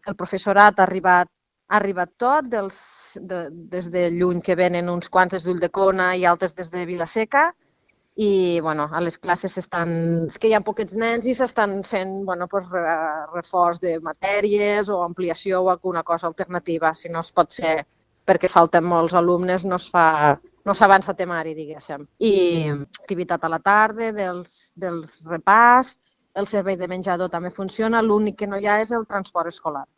El professorat ha arribat tot, des de Lluny que venen uns quants des d'Ulldecona i altres des de Vila-seca, i bueno, a les classes és que hi ha poquets nens i s'estan fent reforç de matèries o ampliació o alguna cosa alternativa. Si no es pot fer perquè falten molts alumnes, no s'avança temari, diguéssim. I activitat a la tarda, dels repàs, el servei de menjador també funciona, l'únic que no hi ha és el transport escolar.